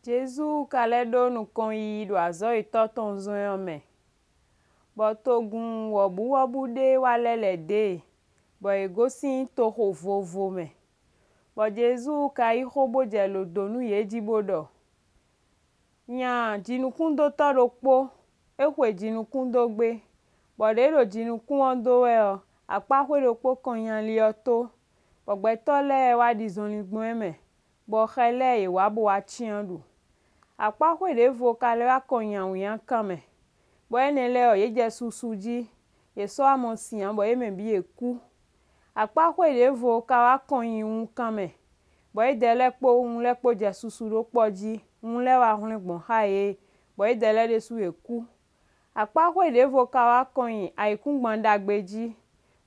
Jezu ka lɛ́ ɖó nukɔn yiyi ɖo azɔ̌ e Tɔ́ tɔn zɔ́n ɛ ɔ́ mɛ. Bɔ togun wɔ̌buwɔ́bú ɖé wá lɛ́ lɛ̌ dó e, bɔ yě gosín toxo vovo mɛ. Bɔ Jezu ka yí xó bó jɛ lǒ dó nú yě jí bó ɖɔ: Nya jinukúndótɔ́ ɖokpó, é xwe jinukún dó gbé. Bɔ ɖě é ɖo jinukún ɔ́ dó wɛ ɔ́, akpáxwé ɖokpó kɔn nyi ali ɔ́ tó, bɔ gbɛtɔ́ lɛ́ɛ wá ɖi zɔnlin gbɔn é mɛ, bɔ xɛ lɛ́ɛ yě wá bó wá cyán ɖu. Akpáxwé ɖěvo ka lɛ́ wá kɔn nyi awǐnnyakan mɛ, bɔ énɛ́ lɛ́ɛ ɔ́, yě jɛ susu jí, yě sɔ́ wá mɔ sin ǎ bɔ yě mɛ bǐ yě kú. Akpáxwé ɖěvo ka wá kɔn nyi wunkan mɛ, bɔ yědɛɛ lɛ́ɛ kpó wun lɛ́ɛ kpó jɛ susu ɖó kpɔ́ jí, wun lɛ́ɛ wá hwlɛ́n gbɔn xá yě, bɔ yědɛɛ lɛ́ɛ ɖésú yě kú. Akpáxwé ɖěvo ka wá kɔn nyi ayǐkúngban ɖagbe jí,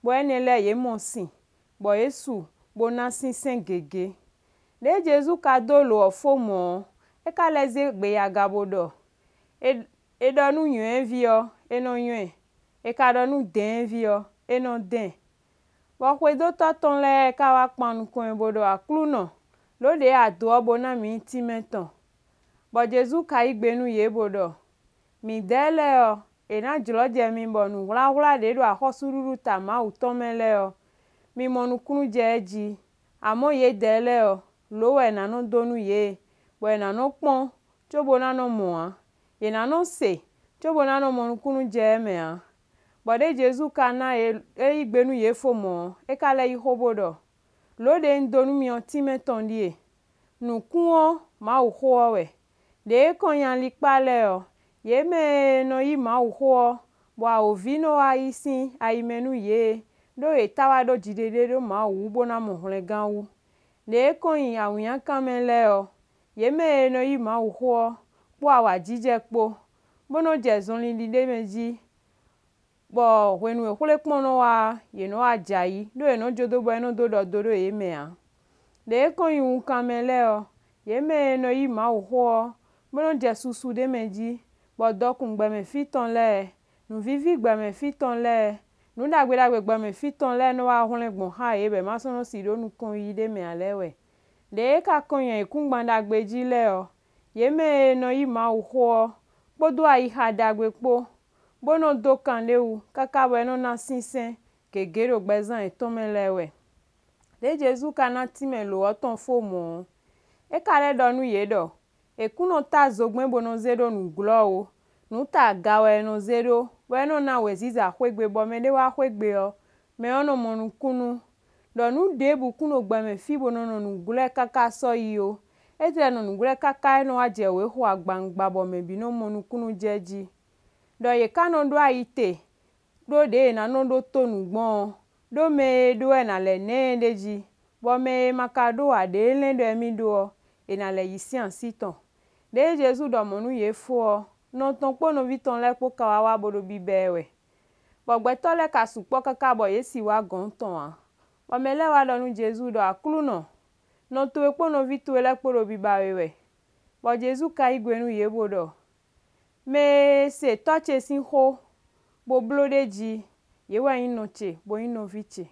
bɔ énɛ́ lɛ́ɛ yě mɔ sin, bɔ yě su bó ná sínsɛ́n gěgé. Ɖě Jezu ka dó lǒ ɔ́ fó mɔ̌ ɔ́, é ka lɛ́ zé gbe yi aga bo ɖɔ: È ɖɔ nú nywɛ̌ví ɔ́, é nɔ́ nywɛ́ ɛ; è ka ɖɔ nú dɛ̌nví ɔ́, é nɔ́ dɛn ɛ. Bɔ xwedótɔ́ tɔn lɛ́ɛ ka wá kpan nukɔn ɛ bo ɖɔ: Aklúnɔ, lǒ ɖě a dǒ ɔ́ bo ná mǐ tínmɛ tɔn. Bɔ Jezu ka yí gbe nú yě bo ɖɔ: Midɛɛ lɛ́ɛ ɔ́, è nǎ jlɔ̌jɛ mi bɔ nǔwláwlá ɖě ɖo axɔ́súɖuɖu ta Mawu tɔn mɛ lɛ́ɛ ɔ́, mi mɔ nukúnnú jɛ é jí. Amɔ̌ yědɛɛ lɛ́ɛ ɔ́, lǒ wɛ è nǎ nɔ́ dó nú yě, bɔ yě ná nɔ́ kpɔ́n cóbó ná nɔ́ mɔ ǎ, yě ná nɔ́ se cóbó ná nɔ́ mɔ nukúnnú jɛ é mɛ ǎ. Bɔ ɖě Jezu ka ná yě, é yí gbe nú yě fó mɔ̌ ɔ́, é ka lɛ́ yí xó bó ɖɔ: Lǒ ɖě un dó nú mi ɔ́ tínmɛ tɔn ɖíe: Nǔkún ɔ́, Mawuxó ɔ́ wɛ. Ɖě kɔn nyi alikpá lɛ́ɛ ɔ́, yě mɛ e nɔ yí Mawuxó ɔ́, bɔ awǒvi nɔ́ wá yi sín ayi mɛ nú yě, ɖó yě tá wá ɖó jiɖiɖe ɖé ɖó Mawu wú bó ná mɔ hwlɛngán wú. Ɖě kɔn nyi awǐnnyakan mɛ lɛ́ɛ ɔ́, yě mɛ e nɔ yí Mawuxó ɔ́ kpó awǎjijɛ kpó, bó nɔ́ jɛ zɔnlin ɖi ɖ'é mɛ jí, bɔ hwenu e xwlekpɔ́n nɔ́ wá ɔ́, yě nɔ́ wá jɛ ayǐ, ɖó yě nɔ́ jó dó bɔ é nɔ́ dó ɖɔ do ɖó yě mɛ ǎ. Ɖě kɔn nyi wunkan mɛ lɛ́ɛ ɔ́, yě mɛ e nɔ yí Mawuxó ɔ́, bó nɔ́ jɛ susu ɖ'é mɛ jí, bɔ dɔkun gbɛmɛ fí tɔn lɛ́ɛ, nǔvíví gbɛmɛ fí tɔn lɛ́ɛ, nǔ ɖagbe ɖagbe gbɛmɛ fí tɔn lɛ́ɛ nɔ́ wá hwlɛ́n gbɔn xá yě bɔ yě má sɔ́ nɔ́ sǐ ɖó nukɔnyiyi ɖ'é mɛ ǎ lɛ́ɛ wɛ. Ɖě ka kɔn nyi ayǐkúngban ɖagbe jí lɛ́ɛ ɔ́, yě mɛ e nɔ yí Mawuxó ɔ́ kpódó ayixa ɖagbe kpó, bó nɔ́ dó kan ɖ'é wú káká bɔ é nɔ́ ná sínsɛ́n gěgé ɖo gbɛzán yětɔn mɛ lɛ́ɛ wɛ. Ɖě Jezu ka ná tínmɛ lǒ ɔ́ tɔn fó mɔ̌ ɔ́, é ka lɛ́ ɖɔ nú yě ɖɔ: È kún nɔ tá zogbɛ́n bo nɔ zé ɖó nǔ glɔ́ ó, nǔ ta aga wɛ è nɔ zé ɖó, bɔ é nɔ́ ná wěziza xwé gbe bɔ mɛɖé wá xwé gbe ɔ́, mɛ ɔ́ nɔ́ mɔ nukúnnú. Ɖɔ nǔ ɖěbǔ kún ɖo gbɛmɛ fí bo nɔ nɔ nǔglɔ́ káká sɔ́yi ó. É tlɛ nɔ nǔglɔ́ káká é nɔ wá jɛ wěxo agbawungba bɔ mɛ bǐ nɔ́ mɔ nukúnnú jɛ jí. Ɖɔ yě ká nɔ ɖó ayi te ɖó ɖě yě ná nɔ́ ɖótó nǔ gbɔn ɔ́, ɖó mɛ e ɖó ɔ́, è nǎ lɛ́ ná ɛ ɖ'é jí, bɔ mɛ e ma ka ɖó ǎ, ɖě é lɛ́n ɖɔ émí ɖó ɔ́, è nǎ lɛ́ yí sín así tɔn. Ɖě Jezu ɖɔ mɔ̌ nú yě fó ɔ́, nɔ tɔn kpó nɔví tɔn lɛ́ɛ kpó ka wá wá bo ɖo biba ɛ wɛ. Bɔ gbɛtɔ́ lɛ́ɛ ka sukpɔ́ káká bɔ yě si wá gɔ̌n tɔn ǎ. Bɔ mɛ lɛ́ɛ wá ɖɔ nú Jezu ɖɔ: Aklúnɔ, nɔ towe kpó nɔví towe lɛ́ɛ kpó ɖo biba we wɛ. Bɔ Jezu ka yí gbe nú yě bo ɖɔ: Mɛ e se tɔ́ ce sín xó bo bló ɖ'é jí, yě wɛ nyí nɔ ce bo nyí nɔví ce.